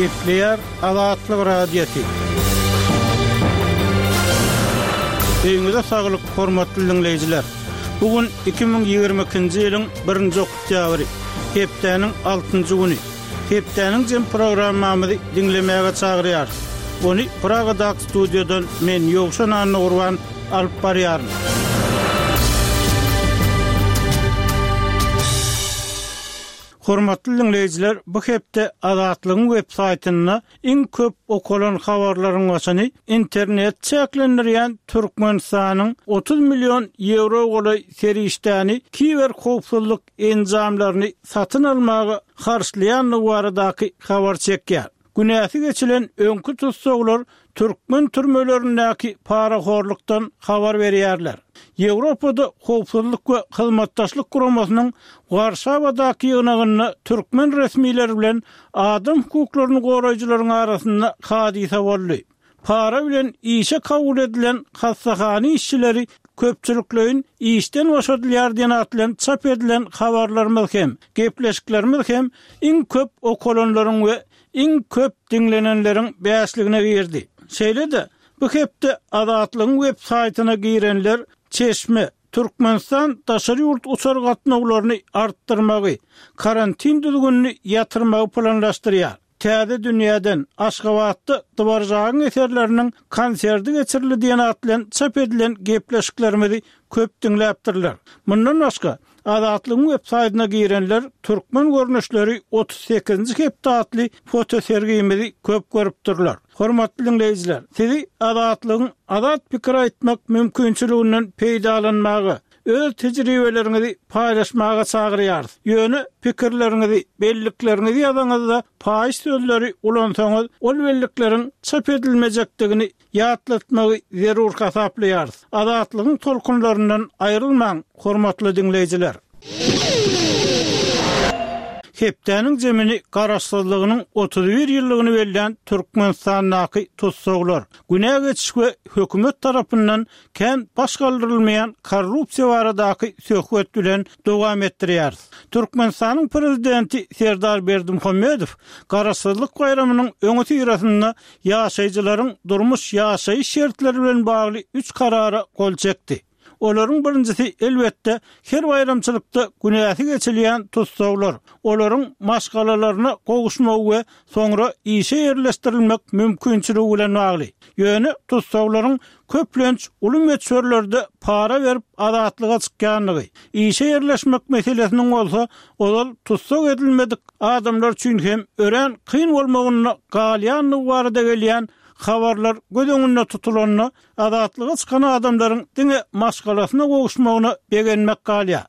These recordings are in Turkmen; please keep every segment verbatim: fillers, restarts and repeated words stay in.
Gepleýär Azatlyk Radiosy. Öýüňize saglyk, hormatly diňleýjiler! Bu gün iki müň ýigrimi ikinji ýylyň birinji oktýabry, hepdäniň altynjy güni. Hepdäniň jem programmamyzy diňlemäge çagyrýarys. Ony Pragadaky studiýadan men Ýowşan Annagurban alyp barýaryn. Hormatly diňleýjiler, bu hepde Azatlygyň web saýtynda iň köp okalan habarlaryň başyny internet çäklendirýän Türkmenistanyň otuz million ýewro golaý serişdäni kiberhowpsuzlyk enjamlaryny satyn almaga harçlaýandygy baradaky habar çekýär. Günäsi geçilen öňki tussaglar türkmen türmelerindäki parahorlukdan habar berýärler. Ýewropada Howpsuzlyk we Hyzmatdaşlyk Guramasynyň Warşawadaky ýygnagynda türkmen resmileri bilen adam hukuklaryny goraýjylaryň arasynda hadysa boldy. Para bilen işe kabul edilen hassahana işçileri köpçülikleýin işden boşadylýar diýen at bilen çap edilen habarlarymyz hem, gepleşiklerimiz hem iň köp okalanlaryň we iň köp diňlenenleriň bäşligine girdi. Şeýle-de, bu hepde Azatlygyň web saýtyna girenler Çeşme, Türkmenistan daşary ýurt uçar gatnawlaryny artdyrmagy, karantin düzgünini ýatyrmagy planlaşdyrýar. Täze dünýäden, Aşgabatda Dworjagyň eserleriniň konserti geçirildi diýen at bilen çap edilen gepleşiklerimizi köp diňläpdirler. Mundan başga, Azatlygyň web saýtyna girenler Türkmen görnüşleri otuz sekizinji hepde atly fotosergimizi köp görüpdirler. Hormatly diňleýjiler, sizi Azatlygyň azat pikir aýtmak mümkinçiliginden peýdalanmaga, öz tejribeleriňizi paýlaşmaga çagyrýarys. Ýöne pikirleriňizi, bellikleriňizi ýazaňyzda paýyş sözleri ulansaňyz, ol bellikleriň çap edilmejekdigini ýatlatmagy zerur hasaplaýarys. Azatlygyň tolkunlaryndan aýrylmaň, hormatly diňleýjiler! Hepdäniň jemini Garaşsyzlygynyň otuz bir ýyllygyny bellän Türkmenistandaky tussaglar, günä geçiş we hökümet tarapyndan kän baş galdyrylmaýan korrupsiýa baradaky söhbet bilen dowam etdirýäris. Türkmenistanyň Prezidenti Serdar Berdimuhamedow Garaşsyzlyk baýramynyň öňüsyrasynda ýaşaýjylaryň durmuş-ýaşaýyş şertleri bilen bagly üç karara gol çekdi. Olaryň birinjisi, elbetde, her baýramçylykda günäsi geçilýän tussaglar, olaryň maşgalalaryna gowuşmagy we soňra işe ýerleşdirilmek mümkinçiligi bilen bagly. Ýöne tussaglaryň köplenç uly möçberlerde para berip azatlyga çykýandygy, işe ýerleşmek meselesiniň bolsa ozal tussag edilmedik adamlar üçin hem örän kyn bolmagynda galýandygy barada gelýän habarlar göz öňünde tutulanda, azatlyga çykan adamlaryň diňe maşgalasyna gowuşmagyna begenmek galýar.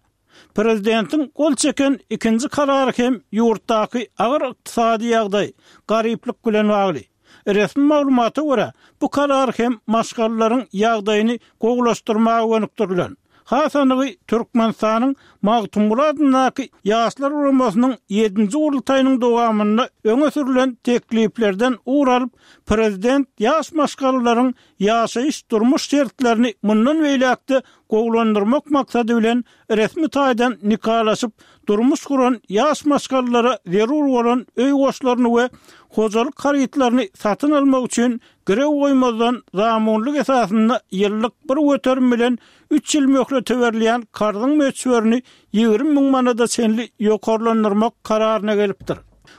Prezidentiň gol çeken ikinji karary hem ýurtdaky agyr ykdysady ýagdaý, garyplyk bilen bagly. Resmi maglumata görä, bu karar hem maşgalalaryň ýagdaýyny gowulaşdyrmaga gönükdirilen. Has anygy, Türkmenistanyň Magtymguly adyndaky Ýaşlar guramasynyň ýedinji gurultaýynyň dowamynda öňe sürlen tekliplerden ugur alyp, prezident ýaş maşgalalaryň ýaşaýyş-durmuş şertlerini mundan beýläk-de gowulandyrmak maksady bilen resmi taýdan nikalaşyp, durmuş guran ýaş maşgalalara zerur bolan öý goşlaryny we hojalyk harytlaryny satyn almak üçin girew goýmazdan zamunlyk esasynda ýyllyk bir göterim bilen üç ýyl möhlete berilýän karzyň möçberini ýigrimi müň manada çenli ýokarlandyrmak kararyna gelipdir.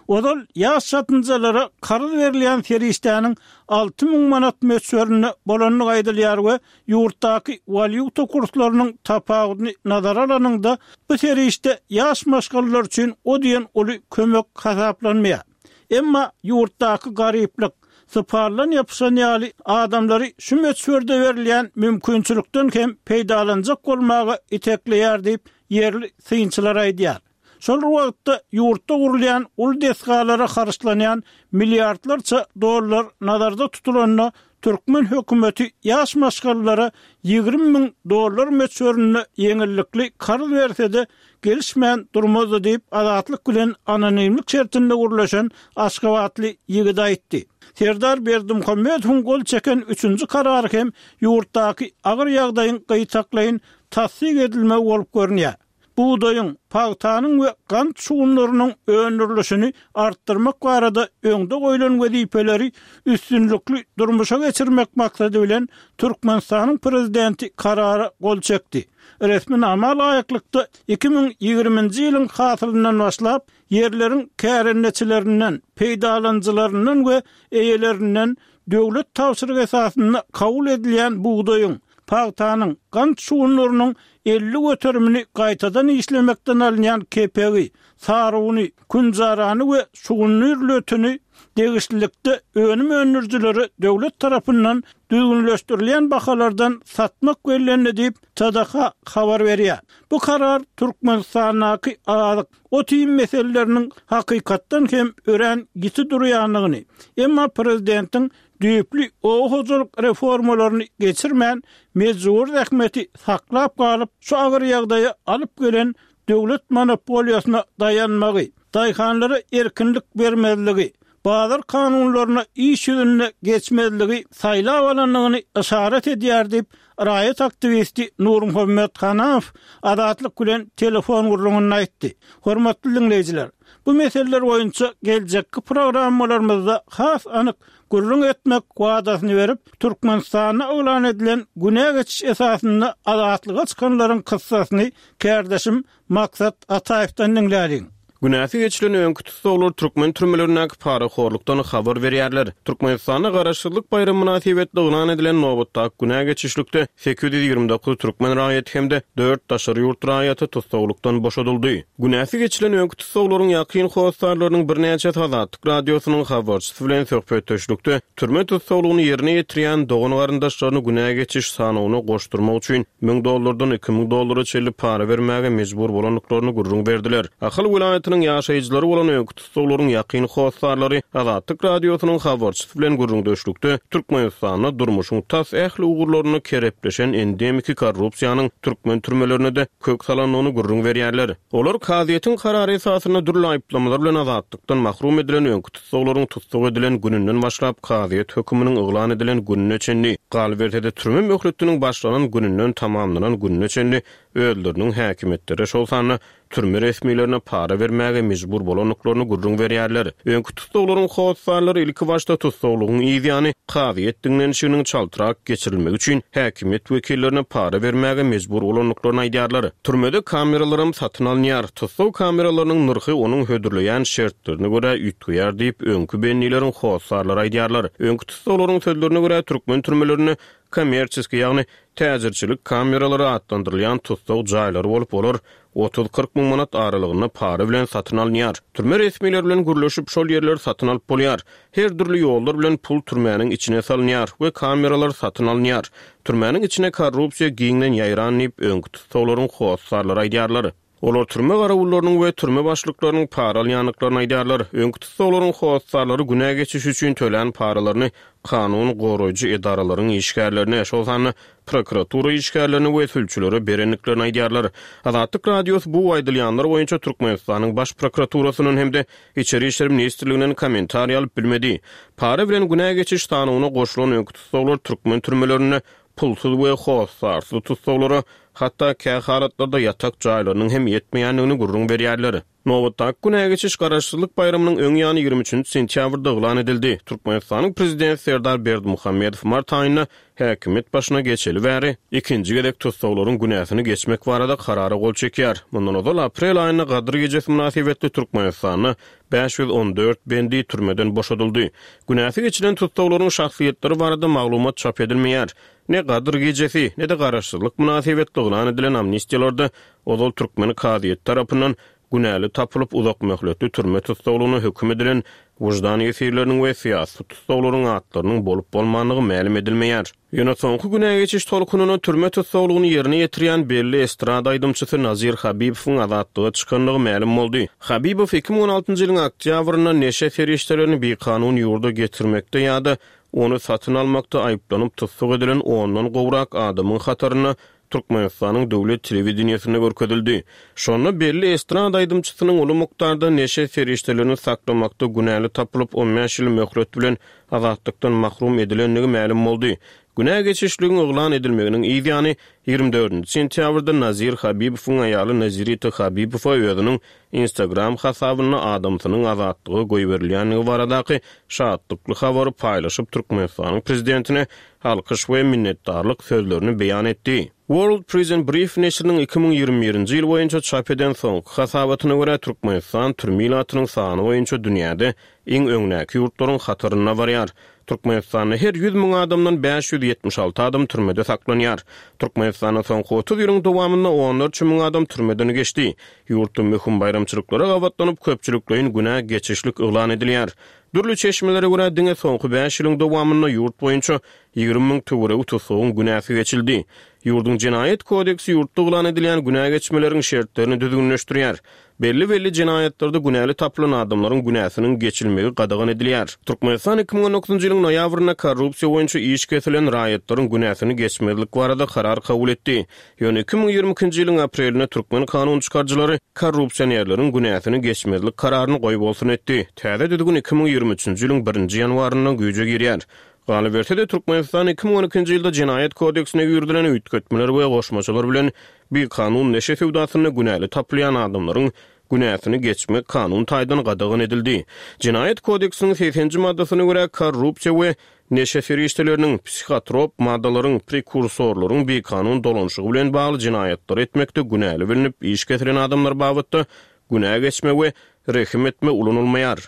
Ozal ýaş çatynjalara karz berilýän serişdäniň alty müň manat möçberinde bolandygy aýdylýar we ýurtdaky walýuta kurslarynyň tapawudyny nazara alanyňda, bu serişde ýaş maşgalalar üçin o diýen uly kömek hasaplanmaýar. Emma ýurtdaky garyplyk, sypaldan ýapyşan ýaly adamlary şu möçberde berilýän mümkinçilikden hem peýdalanjak bolmaga itekleýär diýip, ýerli synçylar aýdýar. Şol bir wagtda, ýurtda gurulýan uly desgalara harçlanýan milliardlarça dollar nazarda tutulanda, türkmen hökümeti ýaş maşgalalara ýigrimi müň dollar möçberinde ýeňillikli karz berse-de, gelişmän durmazdy diýip, Azatlyk bilen anonimlik şertinde gürleşen aşgabatly ýigit aýtdy. Serdar Berdimuhamedowyň gol çeken üçünji karary hem ýurtdaky agyr ýagdaýyň gytaklaýyn tassyk edilmegi bolup görünýär. Bugdaýyň, pagtanyň we gant şugundyrynyň öndürilişini artdyrmak barada öňde goýlan wezipeleri üstünlikli durmuşa geçirmek maksady bilen Türkmenistanyň Prezidenti Karara gol çekdi. Resminama laýyklykda, iki müň ýigriminji ýylyň hasylyndan başlap, ýerleriň kärendeçilerinden, peýdalanyjylaryndan we eýelerinden döwlet tabşyrygy esasynda kabul edilýän bugdaýyň, pagtanyň, gant şugundyrynyň elli göterimini gaýtadan işlemekden alynýan kepegi, saruny, künjarany we şugundyr lötüni degişlilikde önüm öndürijilere döwlet tarapyndan düzgünleşdirilýän bahalardan satmak bellendi diýip, T D H habar berýär. Bu karar Türkmenistandaky azyk, ot-iým meseleleriniň hakykatdan hem örän ýiti durýandygyny, emma prezidentiň düýpli oba hojalyk reformalaryny geçirmän, mejbury zähmeti saklap galyp, şu agyr ýagdaýa alyp gelen döwlet monopoliýasyna daýanmagy, daýhanlara erkinlik bermezligi, bazar kanunlaryna iş ýüzünde geçmezligi saýlap alandygyny yşarat edýär diýip, raýat aktiwisti Nurmuhammet Hanamow Azatlyk bilen telefon gürrüňinde aýtdy. Hormatly diňleýjiler, bu meseleler boýunça geljekki programmalarymyzda has anyk gürrüň etmek wadasyny berip, Türkmenistanda yglan edilen günä geçiş esasynda azatlyga çykanlaryň kyssasyny kärdeşim Maksat Ataýewden diňläliň. Günäsi geçilen öňki tussaglar türkmen türmelerindäki parahorlukdan habar berýärler. Türkmenistanda Garaşsyzlyk baýramy mynasybetli yglan edilen nobatdaky günä geçişlikde sekiz ýüz ýigrimi dokuz türkmen raýaty hem-de dört daşary ýurt raýaty tussaglykdan boşadyldy. Günäsi geçilen öňki tussaglaryň ýakyn hossarlarynyň birnäçesi Azatlyk Radiosynyň habarçysy bilen söhbetdeşlikde türme tussaglygyny ýerine ýetirýän dogan-garyndaşlaryny günä geçiş sanawyna goşdurmak üçin müň dollardan iki müň dollara çenli para bermäge mejbur bolandyklaryny gürrüň berdiler. Ahal welaýatynyň ýaşaýjylary bolan öňki tussaglaryň ýakyn hossarlary Azatlyk Radiosynyň habarçysy bilen gürrüňdeşlikde Türkmenistanda durmuşyň tas ähli ugurlarynda kerepleşen endemiki korrupsiýanyň türkmen türmelerine-de kök salandygyny gürrüň berýärler. Olar kazyýetiň karary esasynda dürli aýyplamalar bilen azatlykdan mahrum edilen öňki tussaglaryň tussag edilen gününden başlap kazyýet höküminiň yglan edilen gününe çenli, galyberse-de türme möhletiniň başlanan gününden tamamlanan gününe çenli özleriniň häkimiýetlere, şol sanda türme resmilerine para bermäge mejbur bolandyklaryny gürrüň berýärler. Öňki tussaglaryň hossarlary ilkibaşda tussaglygyň yz ýany kazyýet diňlenişiginiň çaltrak geçirilmegi üçin häkimiýet wekillerine para bermäge mejbur bolandyklaryny aýdýarlar. Türmede kameralaram satyn alynýar. Tussag kameralarynyň nyrhy onuň hödürleýän şertlerine görä üýtgeýär diýip, öňki bendileriň hossarlary aýdýarlar. Öňki tussaglaryň sözlerine görä, türkmen türmelerinde kommerçeskiý, ýagny täjirçilik kameralary atlandyrylýan tussag jaýlary bolup, olar otuz-kyrk müň manat aralygynda para bilen satyn alynýar. Türme resmileri bilen gürleşip, şol ýerleri satyn alyp bolýar. Her dürli ýollar bilen pul türmäniň içine salynýar we kameralar satyn alynýar. Türmäniň içine korrupsiýa giňden ýaýran diýip, öňki tussaglaryň hossarlary aýdýarlar. Olar türme garawullarynyň we türme başlyklarynyň para alýandyklaryny aýdýarlar. Öňki tussaglaryň hossarlary günä geçiş üçin tölän paralaryny kanun goraýjy edaralaryň işgärlerine, şol sanda prokuratura işgärlerine we sülçülere berendiklerini aýdýarlar. Azatlyk Radiosy bu aýdylýanlar boýunça Türkmenistanyň Baş prokuraturasyndan hem-de Içeri işler ministrliginden kommentariý alyp bilmedi. Para bilen günä geçiş sanawyna goşulan öňki tussaglar türkmen türmelerinde pulsuz we hossarsyz tussaglara hatda kähalatlarda ýatak jaýlarynyň hem ýetmeýändigini gürrüň berýärler. Nobatdaky günä geçiş Garaşsyzlyk baýramynyň öň ýany ýigrimi üçünji sentýabrda yglan edildi. Türkmenistanyň Prezidenti Serdar Berdimuhamedow mart aýynda häkimiýet başyna geçeli bäri ikinji gezek tussaglaryň günäsini geçmek barada karara gol çekýär. Mundan ozal aprel aýynda Gadyr gijesi mynasybetli Türkmenistanda bäş ýüz on dört bendi türmeden boşadyldy. Günäsi geçilen tussaglaryň şahsyýetleri barada maglumat çap edilmeýär. Ne Gadyr gijesi, ne-de Garaşsyzlyk mynasybetli yglan edilen amnistiýalarda ozal türkmen kazyýeti tarapyndan günäli tapylyp uzak möhletli türme tussaglygyna höküm edilen wyždan ýesirleriniň we syýasy tussaglaryň atlarynyň bolup-bolmandygy mälim edilmeýär. Ýöne soňky günä geçiş tolkunyna türme tussaglygyny ýerine ýetirýän belli estrada aýdymçysy Nazir Habibowyň azatlyga çykandygy mälim boldy. Habibow iki müň on altynjy ýylyň oktýabrynda neşe serişdelerini bikanun ýurda getirmekde ýa-da ony satyn almakda aýyplanyp tussag edilen ondan gowrak adamyň hatarynda Türkmenistanyň döwlet telewideniýesinde görkezildi. Şonda belli estrada aýdymçysynyň uly mukdarda neşe serişdelerini saklamakda günäli tapylyp, on bäş ýyl möhlet bilen azatlykdan mahrum edilendigi mälim boldy. Günä geçişligiň yglan edilmeginiň yz ýany ýigrimi dördünji sentýabrda Nazir Habibowyň aýaly Nazirita Habibowa özüniň Instagram hasabynda adamsynyň azatlyga goýberilýändigi baradaky şatlykly habary paýlaşyp, Türkmenistanyň prezidentine alkyş we minnetdarlyk sözlerini beýan etdi. World Prison Brief neşiriniň iki müň ýigrimi birinji ýyl boýunça çap eden soňky hasabatyna görä, Türkmenistan türme ilatynyň sany boýunça dünýäde iň öňdäki ýurtlaryň hatarynda barýar. Türkmenistanda her ýüz müň adamdan bäş ýüz ýetmiş alty adam türmede saklanýar. Türkmenistanda soňky otuz ýylyň dowamynda onlarça müň adam türmeden geçdi. Ýurtda möhüm baýramçylyklara gabatlanyp, köpçülikleýin günä geçişlik yglan edilýär. Dürli çeşmelere görä, diňe soňky bäş ýylyň dowamynda ýurt boýunça ýigrimi müň töweregi tussagyň günäsi geçildi. Ýurduň jenaýat kodeksi ýurtda yglan edilýän günä geçmeleriň şertlerini düzgünleşdirýär. Belli-belli jenaýatlarda günäli tapylan adamlaryň günäsiniň geçilmegi gadagan edilýär. Türkmenistan iki müň on dokuzynjy ýylyň noýabrynda korrupsiýa boýunça iş kesilen raýatlaryň günäsini geçmezlik barada karar kabul etdi. Ýöne iki müň ýigrimi ikinji ýylyň aprelinde türkmen kanun çykaryjylary korrupsionerleriň günäsini geçmezlik kararyny goýbolsun etdi. Täze düzgün iki müň ýigrimi üçünji ýylyň birinji ýanwarynda güýje girýär. Galyberse-de, Türkmenistan iki müň on ikinji ýylda jenaýat kodeksine girizilen üýtgetmeler we goşmaçalar bilen bikanun neşe söwdasynda günäli tapylýan adamlaryň günäsini geçmek kanun taýdan gadagan edildi. Jenaýat kodeksiniň segsenji maddasyna görä korrupsiýa we neşe serişdeleriniň, psihotrop maddalaryň, prekursorlaryň bikanun dolanşygy bilen bagly jenaýatlary etmekde günäli bilinip iş kesilen adamlar babatda günä geçme we rehim etme ulanylmaýar.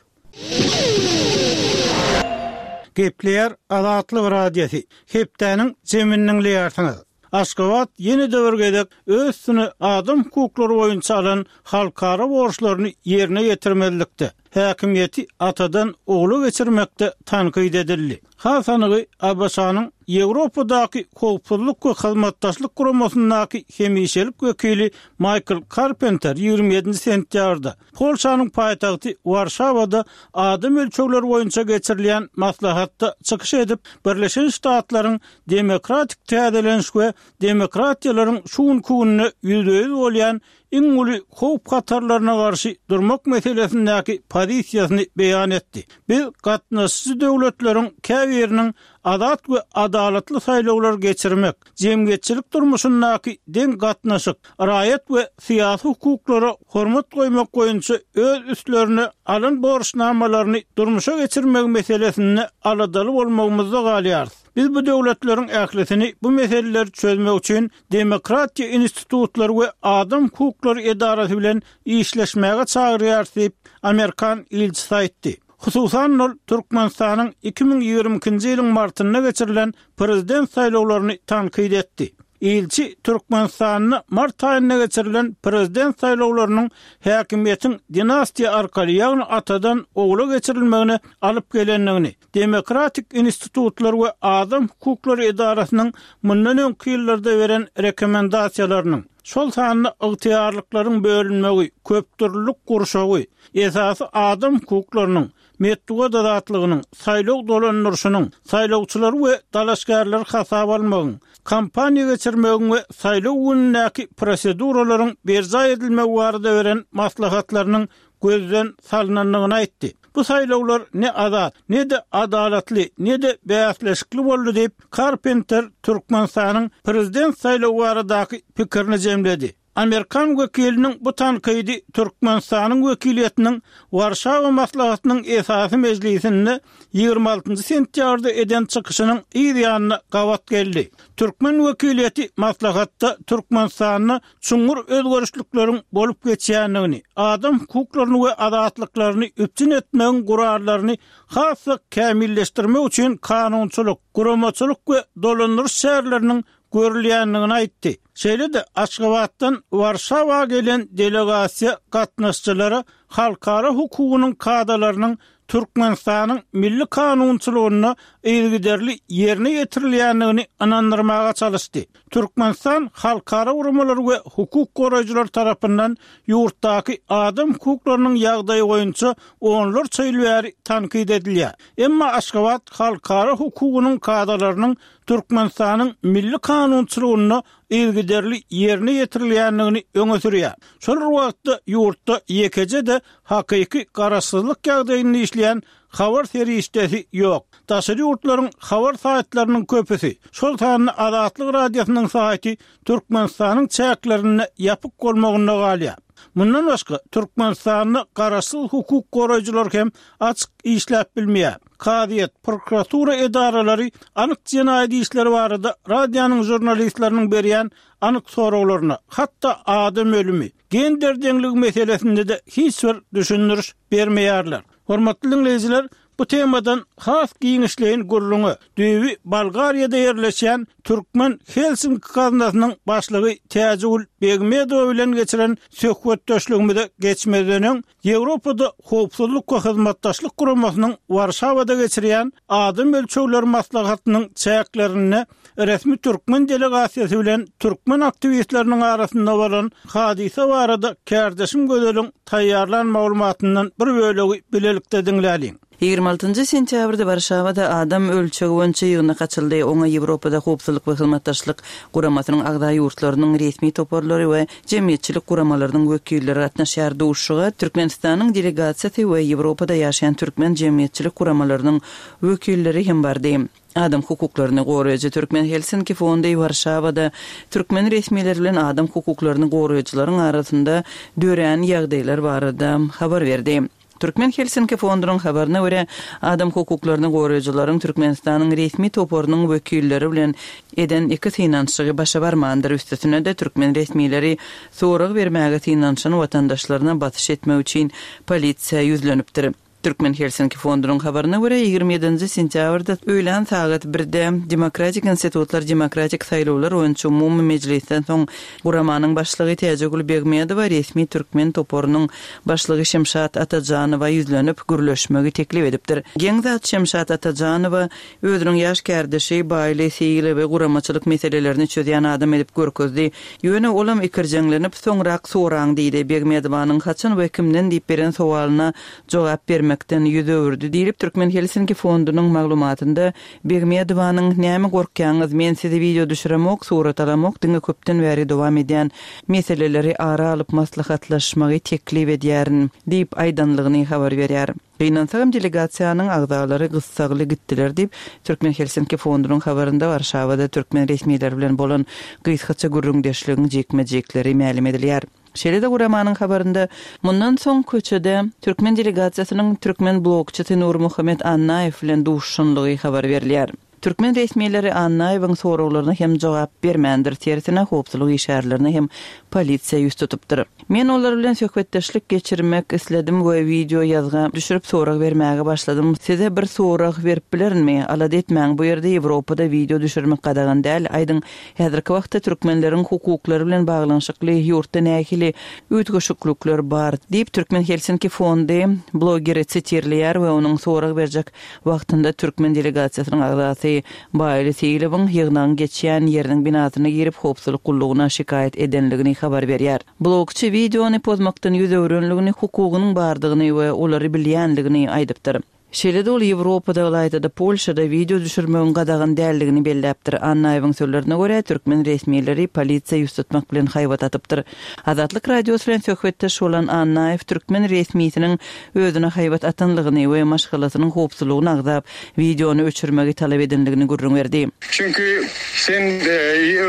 Gepleýär Azatlyk Radiosy. Hepdäniň jemini diňleýärsiňiz. Aşgabat ýene-de bir gezek öz üstüne adam hukuklary boýunça alan halkara borçlaryny ýerine ýetirmezlikde, häkimiýeti atadan ogla geçirmekde tankyt edildi. Has anygy A B Ş-nyň Ýewropadaky howpsuzlyk we hyzmatdaşlyk guramasyndaky hemişelik wekili Michael Carpenter ýigrimi ýedinji sentýabrda Polşanyň paýtagty Warşawada adam ölçegleri boýunça geçirilýän maslahatda çykyş edip, Birleşen Ştatlaryň demokratik täzeleniş we demokratiýalaryň şu günki günde ýüzbe-ýüz bolýan iň uly howp hatarlaryna garşy durmak meselesindäki pozisiýasyny beýan etdi. Biz gatnaşyjy döwletleriň käbiriniň azat we adalatly saýlawlar geçirmek, jemgyýetçilik durmuşyndaky deň gatnaşyk, raýat we syýasy hukuklara hormat goýmak boýunça öz üstlerine alan borçnamalaryny durmuşa geçirmek meselesinde aladaly bolmagymyzda galýarys. Biz bu döwletleriň ählisini bu meseleleri çözmek üçin demokratiýa institutlary we adam hukuklary edarasy bilen işleşmäge çagyrýarys diýip, Amerikan ilçisi aýtdy. Hususan ol Türkmenistanyň iki müň ýigrimi ikinji ýylyň martynda geçirilen prezident saýlawlaryny tankyt etdi. Ilçi Türkmenistanda mart aýynda geçirilen prezident saýlawlarynyň häkimiýetiň dinastiýa arkaly, ýagny atadan ogla geçirilmegine alyp gelendigini, demokratik institutlar we adam hukuklary edarasynyň mundan öňki ýyllarda beren rekomendasiýalarynyň, şol sanda ygtyýarlyklaryň bölünmegi, köpdürlülük gurşawy, esasy adam hukuklarynyň, metbugat azatlygynyň, saýlaw dolandyryşynyň, saýlawçylary we dalaşgärleri hasaba almagyň, kampaniýa geçirmegiň we saýlaw günündäki proseduralaryň berjaý edilmegi barada beren maslahatlarynyň gözden salynandygyny aýtdy. Bu saýlawlar ne azat, ne-de adalatly, ne-de bäsleşikli boldy diýip, Carpenter Türkmenistanyň prezident saýlawy baradaky pikirini jemledi. Amerikan wekiliniň bu tankydy Türkmenistanyň wekiliýetiniň Warşawa maslahatynyň esasy mejlisinde ýigrimi altynjy sentýabrda eden çykyşynyň yz ýanyna gabat geldi. Türkmen wekiliýeti maslahatda Türkmenistanda çuňňur özgerişlikleriň bolup geçýändigini, adam hukuklaryny we azatlyklaryny üpjün etmegiň gurallaryny has-da kämilleşdirmek üçin kanunçylyk, guramaçylyk we dolandyryş çäreleriniň görülýändigini aýtdy. Şeýle-de Aşgabatdan Warşawa gelen delegasiýa gatnaşyjylara halkara hukugynyň kadalarynyň Türkmenistanyň milli kanunçylygynda yzygiderli ýerine ýetirilýändigini ynandyrmaga çalyşdy. Türkmenistan halkara guramalary we hukuk goraýjylar tarapyndan ýurtdaky adam hukuklarynyň ýagdaýy boýunça onlarça ýyl bäri tankyt edilýär. Emma Aşgabat halkara hukugynyň kadalarynyň Türkmenistanyň milli kanunçylygynda yzygiderli ýerine ýetirilýändigini öňe sürýär. Şol bir wagtda ýurtda ýekeje-de hakyky garaşsyzlyk ýagdaýynda işleýän habar serişdesi ýok. Daşary ýurtlaryň habar saýtlarynyň köpüsi, şol sanda Azatlyk Radiosynyň saýty Türkmenistanyň çäklerinde ýapyk bolmagynda galýar. Mundan başga Türkmenistanda garaşsyz hukuk goraýjylar hem açyk işläp bilmeýär. Kazyýet, prokuratura edaralary anyk jenaýat işleri barada radionyň žurnalistleriniň berýän anyk soraglaryna, hatda adam ölümi, gender deňligi meselesinde-de hiç bir düşündiriş bermeýärler. Hormatly diňleýjiler, bu temadan has giňişleýin gürrüňe düýbi Bolgariýada ýerleşýän Türkmen Helsinki gaznasynyň başlygy Täjigül Begmedowa bilen geçiren söhbetdeşligimize geçmezden öň, Ýewropada Howpsuzlyk we Hyzmatdaşlyk Guramasynyň Warşawada geçirýän adam ölçegleri maslahatynyň çäklerinde resmi türkmen delegasiýasy bilen türkmen aktiwistleriniň arasynda bolan hadysa barada kärdeşim Gözeliň taýýarlan maglumatyndan bir bölegi bilelikde diňläliň. Ýigrimi altynjy sentýabrda Warşawada adam ölçegi boýunça ýygnak açyldy. Oňa Ýewropada Howpsuzlyk we Hyzmatdaşlyk Guramasynyň agza ýurtlarynyň resmi toparlary we jemgyýetçilik guramalarynyň wekilleri gatnaşýar. Duşuşyga Türkmenistanyň delegasiýasy we Ýewropada ýaşaýan türkmen jemgyýetçilik guramalarynyň wekilleri hem bardy. Adam hukuklaryny goraýjy Türkmen Helsinki fondy Warşawada türkmen resmileri bilen adam hukuklaryny goraýjylaryň arasynda dörän ýagdaýlar barada habar berdi. Türkmen Helsinki fondunyň habaryna görä, adam hukuklaryny goraýjylaryň Türkmenistanyň resmi toparynyň wekilleri bilen eden iki synanyşygy başa barmandyr. Üstesine-de, türkmen resmileri sorag bermäge synanyşan watandaşlaryna basyş etmek üçin polisiýa ýüzlenipdir. Türkmen Helsinki fondunyň habaryna görä, ýigrimi ýedinji sentýabrda öýlän sagat birde Demokratik institutlar demokratik saýlawlar boýunça umumy mejlisden soň guramanyň başlygy Täjigül Begmedowa resmi türkmen toparynyň başlygy Şemşat Atajanowa ýüzlenip, gürleşmegi teklip edipdir. Geň zat, Şemşat Atajanowa özüniň ýaş kärdeşi Baýly Seýilowy guramaçylyk meselelerini çözýän adam edip görkezdi. Ýöne olam ikirjeňlenip, soňrak soraň diýdi. Begmedowanyň haçan we kimden diýip beren sowalyna jogap bermekden ýüz öwürdi diýlip, Türkmen Helsinki fondunyň maglumatynda Begmedowanyň Näme gorkýaňyz, men sizi wideo düşüremok, surat alamok, diňe köpden bäri dowam edýän meseleleri ara alyp maslahatlaşmagy teklip edýärin diýip aýdanlygyny habar berýär. Gynansagam delegasiýanyň agzalary gyssagly gitdiler diýip, Türkmen Helsinki fondunyň habarynda Warşawada türkmen resmileri bilen bolan gysgaça gürrüňdeşligiň jikme-jikleri mälim edilýär. Şeýle-de guramanyň habarynda mundan soň köçede türkmen delegasiýasynyň türkmen blogçysy Nurmuhammet Annaýew bilen duşuşanlygy habar berilýär. Türkmen resmileri Annaýewiň soraglaryna hem jogap bermändir, tersine howpsuzlyk işgärlerine hem polisiýa ýüz tutupdyr. Men olar bilen söhbetdeşlik geçirmek isledim we wideo ýazga düşürip sorag bermäge başladym. Size bir sorag berip bilerinmi? Alada etmäň, bu ýerde Ýewropada wideo düşürmek gadagan däl. Aýdyň, häzirki wagtda türkmenleriň hukuklary bilen baglanyşykly ýurtda nähili üýtgeşiklikler bar? diýip, Türkmen Helsinki fondy blogeri sitirleýär we onuň sorag berjek wagtynda türkmen delegasiýasynyň agzasy Baýly Seýilowyň ýygnagyň geçýän ýeriniň binasyna girip, howpsuzlyk gullugyna şikaýat edenligini habar berýär. Blogçy wideony pozmakdan ýüz öwrenligini, hukugynyň bardygyny we olary bilýänligini aýdypdyr. Şeýle-de ol Ýewropada, ylaýta-da Polşada wideo düşürmegiň gadagan däldigini belläpdir. Annaýewiň sözlerine görä, türkmen resmileri polisiýa ýüz tutmak bilen haýbat atypdyr. Azatlyk Radiosy bilen söhbetdeş bolan Annaýew türkmen resmisiniň özüne haýbat atanlygyny we maşgalasynyň howpsuzlygyny agzap, wideony öçürmegi talap edenligini gürrüň berdi. Çünki sen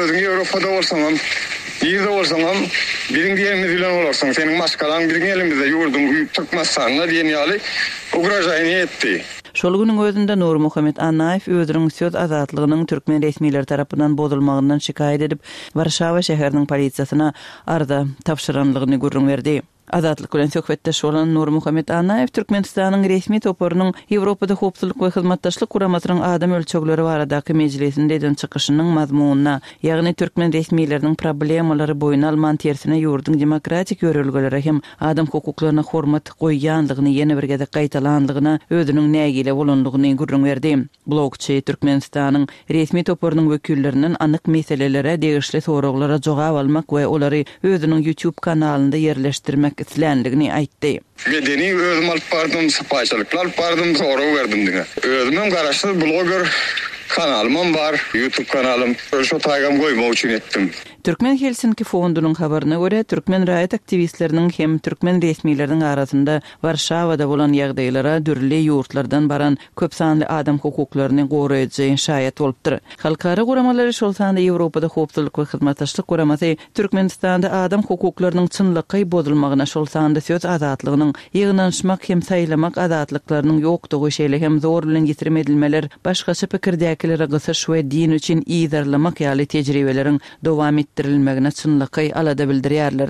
özüň Ýewropada bolsaňam, nirde bolsaňam biziň diýenimiz bilen bolarsyň, seniň maşgalaň biziň elimizde, ýurduň Türkmenistanda diýen ýaly ugražaýny etdi. Şol günüň özünde Nurmuhammet Annaýew özüniň söz azatlygynyň türkmen resmileri tarapyndan bozulmagyndan şikaýat edip, Warşawa şäheriniň polisiýasyna arza tabşyranlygyny gürrüň berdi. Azatlyk bilen söhbetdeş bolan Nurmuhammet Annaýew Türkmenistanyň resmi toparynyň Ýewropada Howpsuzlyk we Hyzmatdaşlyk Guramasynyň adam ölçegleri baradaky mejlisinde eden çykyşynyň mazmunyna, ýagny türkmen resmileriniň problemalary boýun alman, tersine ýurduň demokratik ýörelgelere hem adam hukuklaryna hormat goýýanlygyny ýene bir gezek gaýtalanlygyna özüniň nägile bolanlygyny gürrüň berdi. Blogçy Türkmenistanyň resmi toparynyň wekillerinden anyk meselelere degişli soraglara jogap almak we olary özüniň YouTube kanalynda ýerleşdirmek islänligini aýtdy. Medeni özüm alyp bardym, sypaýçylykly alyp bardym, sorag berdim diňe. Özümem garaşsyz bloger Kanalymam bar, YouTube kanalym. Şo taýgam goýmak üçin etdim. Türkmen Helsinki fondunyň habaryna görä, türkmen raýat aktiwistleriniň hem türkmen resmileriniň arasynda Warşawada bolan ýagdaýlara dürli ýurtlardan baran köp sanly adam hukuklaryny goraýjy şaýat bolupdyr. Halkara guramalary, şol sanda Ýewropada Howpsuzlyk we Hyzmatdaşlyk Guramasy Türkmenistanda adam hukuklarynyň çynlakaý bozulmagyna, şol sanda söz azatlygynyň, ýygnanyşmak hem saýlamak azatlyklarynyň ýokdugy, şeýle hem zor bilen ýitirim edilmeler, başgaça pikirdäkilere gysyş we din üçin yzarlamak ýaly tejribeleriň dowam etdirilmegine çynlakaý alada bildirýärler.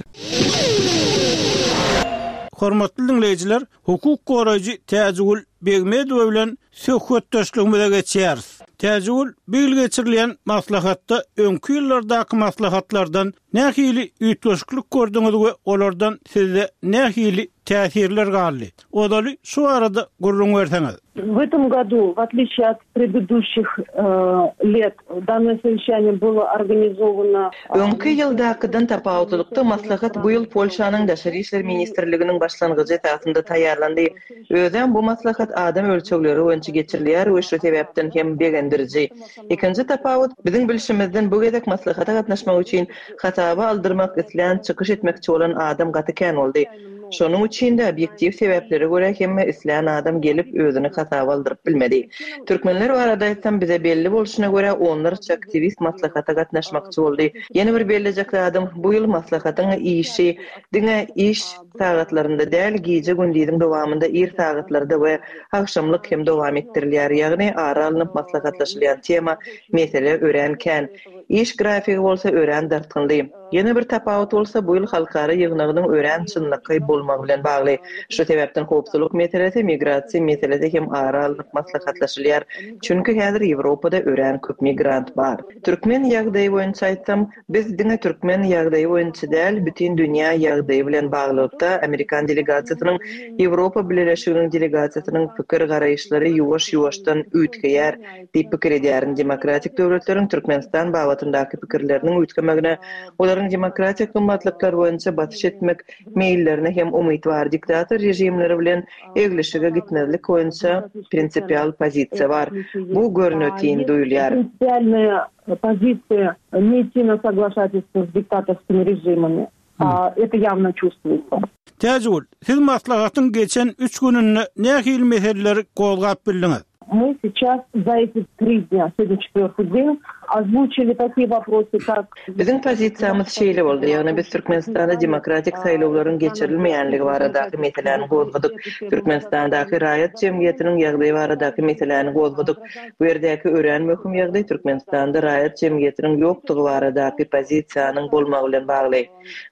Hormatly dinleýjiler, hukuk goraýjy Täjigül Begmedowa bilen söhbetdeşligimize geçýäris. Täjigül, bu ýyl geçirilen maslahatda öňki ýyllardaky maslahatlardan nähili üýtgeşiklik gördüňiz we olardan sizde nähili täsirler galdy? Ozaly şu arada gürrüň berseňiz. В этом году, в отличие от предыдущих э, лет, данное совещание было организовано Öňki ýyldakydan tapawutlylykda maslahat bu ýyl Polşanyň Daşary işler ministrliginiň başlangyjy esasynda taýýarlandy. Özem bu maslahat adam ölçegleri boýunça geçirilýär we şu sebäpden hem begendiriji. Ikinji tapawut biziň bilşimizden bu gezek maslahata gatnaşmak üçin hasaba aldyrmak islän çykyş etmekçi bolan adam gaty kän boldy. Şonuň üçin de obýektiw sebäplere görä hemme islän adam gelip özüni hasaba aldyryp bilmedi. Türkmenler barada aýtsam bize belli bolşuna görä onlarça aktiwist maslahata gatnaşmakçy boldy. Ýene bir bellejek zadym bu ýyl maslahatyň işi diňe iş sagatlarynda däl, gije gündiziň dowamynda ir sagatlarda we agşamlyk hem dowam etdirilýär. Ýagny ara alnyp maslahatlaşylýan tema mesele örän kän. Iş grafigi bolsa örän dartgynly. Ýene bir tapawut bolsa bu ýyl halkara ýygnagynyň örän çynlakaý bolmagy bilen bagly. Şu sebäpden howpsuzlyk meselesi, migrasiýa meselesi hem ara alnyp maslahatlaşylýar. Çünki häzir Ýewropada örän köp migrant bar. Türkmen ýagdaýy boýunça aýtsam, biz diňe türkmen ýagdaýy boýunça däl, bütün dünýä ýagdaýy bilen baglylykda Amerikan delegasiýasynyň, Ýewropa Bileleşiginiň delegasiýasynyň pikir garaýyşlary ýuwaş-ýuwaşdan üýtgeýär diýip pikir edýärin. Demokratik döwletleriň Türkmenistan babatyndaky pikirleriniň üýtgemegine, olaryň demokratik gymmatlyklar boýunça basyş etmek meýillerine hem umyt bar. Diktator režimleri bilen eglişige gitmezlik boýunça prinsipial pozisiýa bar. Bu görnütin duýulýar. Принципиальная позиция не идти на соглашательство с диктаторскими режимами. А, это явно чувствуется. Täjigül, siz maslahatyň geçen üç gününde nähili meseleleri gozgap bildiňiz? Мы сейчас за эти три дня, сегодня четвертый день, озвучили такие вопросы, как Biziň pozisiýamyz şeýle boldy. Ýagny biz Türkmenistanda demokratik saýlawlaryň geçirilmeýänligi baradaky meseläni gozgadyk. Türkmenistandaky raýat jemgyýetiniň ýagdaýy baradaky meseläni gozgadyk. Bu ýerdäki örän möhüm ýagdaý Türkmenistanda raýat jemgyýetiniň ýokdugy baradaky pozisiýanyň bolmagy bilen bagly.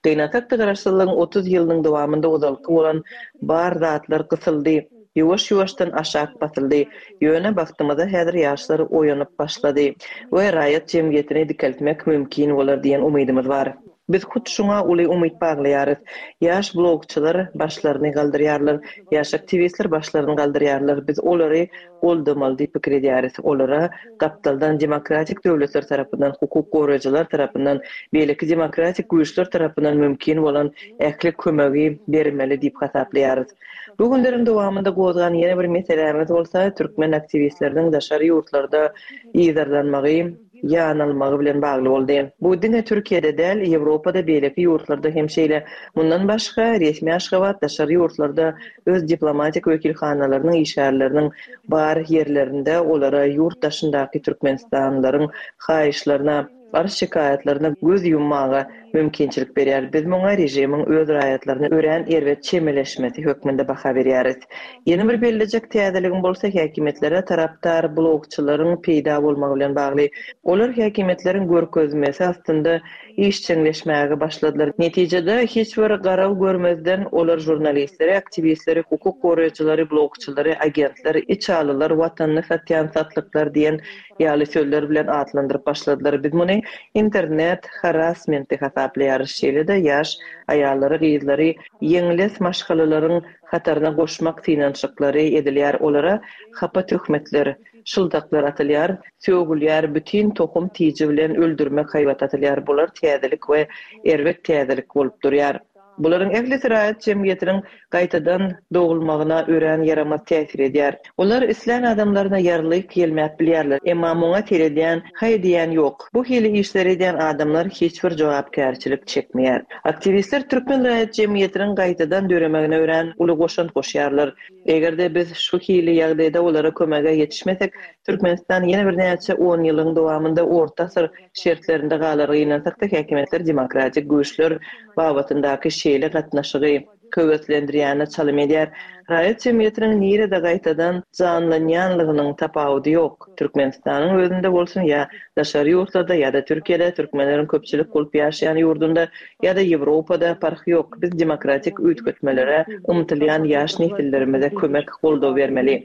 Gynansak-da garaşsyzlygyň otuz ýylynyň dowamynda ozalky bolan bar zatlar gysyldy. Ýuwaş-ýuwaşdan aşak basyldy. Ýöne bagtymyza häzir ýaşlar oýanyp başlady we raýat jemgyýetini dikeltmek mümkin bolar diýen umydymyz bar. Biz hut şuňa uly umyt baglaýarys. Ýaş blogçylar başlaryny galdyrýarlar, ýaş aktiwistler başlaryny galdyrýarlar. Biz olary goldamaly diýip pikir edýäris. Olara gapdaldan demokratik döwletler tarapyndan, hukuk goraýjylar tarapyndan, beýleki demokratik güýçler tarapyndan mümkin bolan ähli kömegi bermeli diýip hasaplaýarys. Bu günleriň dowamynda gozgan ýene bir meselämiz bolsa türkmen aktiwistleriniň daşary ýurtlarda yzarlanmagy, ýanalmagy bilen bagly boldy. Bu diňe Türkiýede däl, Ýewropada, beýleki ýurtlarda hem şeýle. Mundan başga resmi Aşgabat daşary ýurtlarda öz diplomatik wekilhanalarynyň işgärleriniň bar ýerlerinde olara ýurt daşyndaky Türkmenistanlylaryň haýyşlaryna, arz şikaýatlaryna göz ýummaga mümkinçilik berýär. Biz muňa režimiň öz raýatlaryna örän erbet çemeleşmesi hökmünde baha berýäris. Ýene bir bellejek täzeligim bolsa häkimiýetlere tarapdar blogçylaryň peýda bolmagy bilen bagly. Olar häkimiýetleriň görkezmesi astynda işjeňleşmäge başladylar. Netijede hiç bir garaw görmezden olar žurnalistleri, aktiwistleri, hukuk goraýjylary, blogçylary, agentler, içalylar, watanyny satýan satlyklar diýen ýaly sözler bilen atlandyryp başladylar. Biz muny internet harassmenti hasaplaýarys. Şeýle-de ýaş aýallary, gyzlary ýeňles maşgalalaryň hataryna goşmak synanyşyklary edilýär. Olara hapa töhmetler, şyldaklar atylýar, sögülýär, bütün tohum tiji bilen öldürmek haýbat atylýar. Bular täzelik we erbet täzelik bolup durýar. Bularyň ählisi raýat jemgyýetiniň gaýtadan dogulmagyna örän ýaramaz täsir edýär. Olar islän adamlaryna ýarlyk ýelmäp bilýärler, emma muňa seredýän, haý diýen ýok. Bu hili işleri edýän adamlar hiç bir jogapkärçilik çekmeýär. Aktiwistler türkmen raýat jemgyýetiniň gaýtadan döremegine örän uly goşant goşýarlar. Eger-de biz şu hili ýagdaýda olara kömege ýetişmesek, Türkmenistan ýene birnäçe on ýylyň dowamynda orta asyr şertlerinde galar. Gynansakda häkimiýetler demokratik güýçler babatyndaky şeýle gatnaşygy höweslendirýäne çalym edýär. Raýat jemgyýetiniň nirede gaýtadan janlanýanlygynyň tapawudy ýok. Türkmenistanyň özünde bolsun ýa daşary ýurtlarda ýa-da Türkiýede türkmenleriň köpçülik bolup ýaşaýan ýurdunda ýa-da Ýewropada parhy ýok. Biz demokratik üýtgetmelere ymtylýan ýaş nesillerimize kömek goldaw bermeli.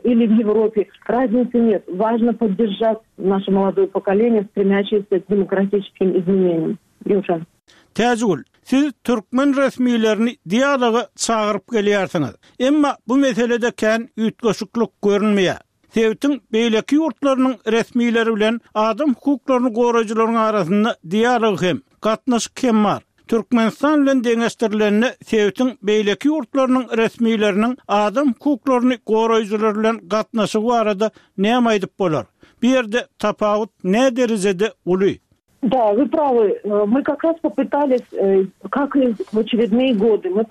Или в Европе разницы нет. Важно поддержать наше молодое поколение, стремящееся к демократическим изменениям. Ýowşan. Täjigül, siz türkmen resmilerini dialoga çagyryp gelýärsiňiz. Emma bu meselede kän üýtgeşiklik görünmeýär. Sebitiň beýleki ýurtlarynyň resmileri bilen adam hukuklaryny goraýjylaryň arasynda dialog hem, gatnaşyk hem bar. Türkmenistan bilen deňeşdirilende sebitiň beýleki ýurtlarynyň resmileriniň adam hukuklaryny goraýjylar bilen gatnaşygy barada näme aýdyp bolar? Bu ýerde tapawut ne derejede uly? Да, вы правы. Мы как раз попытались, как и в очередные годы, мы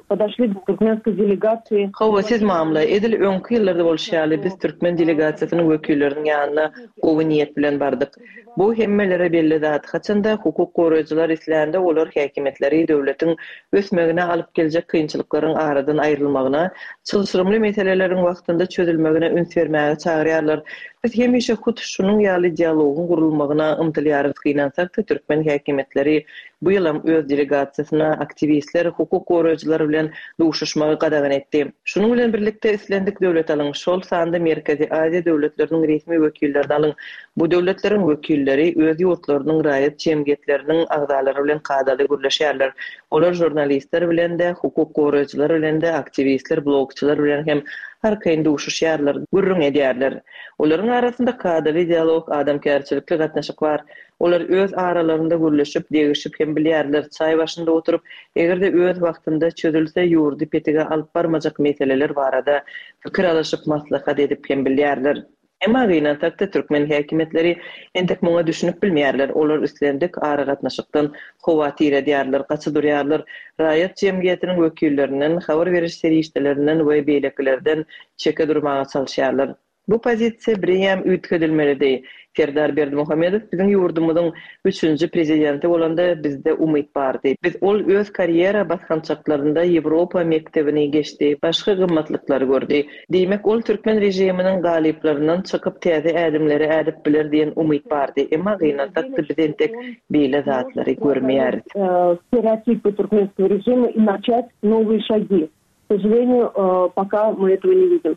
подошли к туркменской делегации. Hawa, siz mamla, edil öňki ýyllarda bolşy ýaly biz türkmen delegasiýasynyň wekilleriniň ýanyna gowy niýet bilen bardyk. Bu hemmelere belli zat. Haçanda hukuk goraýjylar islände olar häkimiýetleri döwletiň ösmegine alyp geljek kynçylyklaryň aradan aýrylmagyna, çylşyrymly meseleleriň wagtynda çözülmegine üns bermäge çagyrýarlar. Biz hemişe hut şunuň ýaly dialogyň gurulmagyna ymtylýarys. Gynansakda türkmen häkimiýetleri bu ýylam öz delegasiýasyna aktiwistler, hukuk goraýjylar bilen duşuşmagy gadagan etdi. Şunuň bilen birlikde islendik döwlet alyň, şol sanda Merkezi Aziýa döwletleriniň resmi wekillerini alyň. Bu döwletleriň wekilleri öz ýurtlarynyň raýat jemgyýetleriniň agzalary bilen kadaly gürleşýärler. Olar žurnalistler bilen de, hukuk goraýjylar bilen de, aktiwistler, blogçylar bilen hem arkaýyn duşuşýarlar, gürrüň edýärler. Olaryň arasynda kadaly dialog, adamkärçilikli gatnaşyk bar. Olar öz aralarynda gürleşip, degişip hem bilýärler. Çaý başynda oturyp, eger-de öz wagtynda çözülse, ýurdy petige alyp barmajak meseleler barada pikir alyşyp, maslahat edip hem bilýärler. Emma gynansakda türkmen häkimiýetleri entek muňa düşünip bilmeýärler. Olar islendik aragatnaşykdan howatyr edýärler, gaçy durýarlar. Raýat jemgyýetiniň wekillerinden, habar beriş serişdelerinden we beýlekilerden çeke durmaga çalyşýarlar. Bu pozisiýa birem üýtgedilmelidi. Serdar Berdimuhamedow biziň ýurdumyzyň üçünji prezidenti bolanda bizde umyt bardy. Biz ol öz karýera basgançaklarynda Ýewropa mekdebini geçdi, başga gymmatlyklary gördi. Diýmek, ol türkmen režiminiň galyplaryndan çykyp täze ädimleri ädip biler diýen umyt bardy. Emma gynansakda biz entek beýle zatlary görmeýäris. Стереотипы туркменского режима и начать новые шаги. К сожалению, пока мы этого не видим.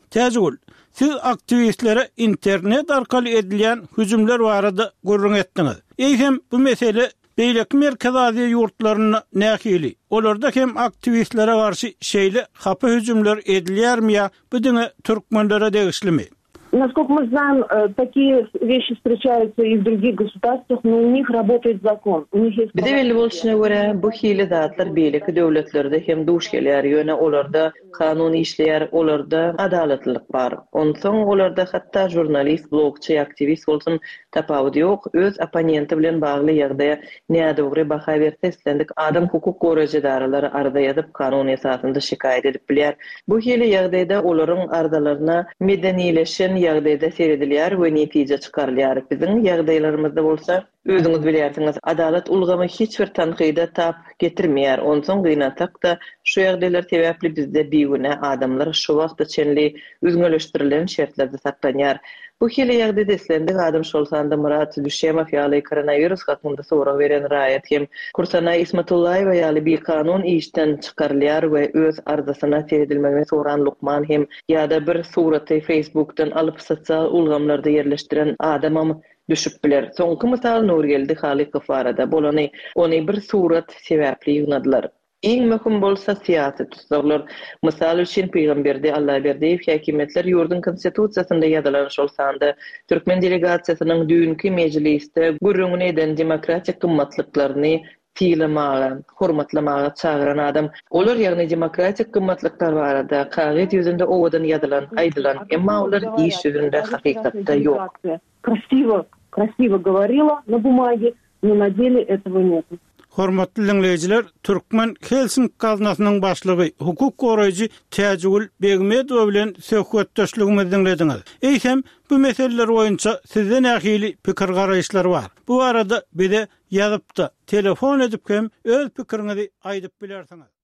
Täjigül, siz aktiwistlere internet arkaly edilýän hüjümler barada gürrüň etdiňiz. Eýhem bu mesele beýleki Merkezi Aziýa ýurtlarynda nähili? Olarda hem aktiwistlere garşy şeýle hapa hüjümler edilýärmi ýa bu diňe türkmenlere degişlimi? Насколько мы знаем, такие вещи встречаются и в других государствах, но у них работает закон. У них есть Bize belli bolşuna görä, bu hili zatlar beýleki döwletlerde hem duş gelýär. Ýöne olarda kanun işleýär, olarda adalatlylyk bar. Onsoň olarda hatda žurnalist, blogçy, aktiwist bolsun tapawudy ýok. Öz opponenti bilen bagly ýagdaýa nädogry baha berse islendik adam hukuk goraýjy edaralary arza ýazyp kanun esasynda şikaýat edip bilýär. Bu hili ýagdaýda olaryň arzalaryna medenileşen ýagdaýda seredilýär we netije çykarylýar. Biziň ýagdaýlarymyzda bolsa özüňiz bilýärsiňiz, adalat ulgamy hiç bir tankyda tap getirmeýär. Onsoň gynansakda şu ýagdaýlar sebäpli bizde bigünä adamlar şu wagta çenli üzňeleşdirilen şertlerde saklanýar. Bu hili ýagdaýda islendik adam şol sanda Murat Düşemow ýaly koronawirus hakynda sorag beren raýat hem Kursanaý Ismatullaýewa ýaly bikanun işden çykarylýar we öz arzasyna seredilmegini soran lukman hem ýa-da bir suraty Facebookdan alyp sosial ulgamlarda ýerleşdiren adamam düşüp biler. Soňky mysal Nurgeldi Halykow barada bolany, ony bir surat sebäpli ýygnadylar. Iň möhüm bolsa syýasy tussaglar. Mysal üçin Pygamberdi Allaberdiýew häkimiýetler ýurduň konstitusiýasynda ýazylan şol sanda türkmen delegasiýasynyň düýnki mejlisde gürrüňini eden demokratik gymmatlyklaryny Sylamaga, hormatlamaga çagyran adam. Olar, ýagny demokratik gymmatlyklar barada kagyz ýüzünde owadan ýazylan, aýdylan, emma olar iş ýüzünde hakykatda ýok. Krasiwo, krasiwo goworila na bumage, no na dele этого нет. Hormatly diňleýjiler, Türkmen Helsink gaznasynyň başlygy, hukuk goraýjy Täjigül Begmedowa bilen söhbetdeşligimizi diňlediňiz. Eýsem, bu meseleler boýunça sizde nähili pikir-garaýyşlar bar? Bu barada bize ýazyp-da, telefon edip hem öz pikiriňizi aýdyp bilersiňiz.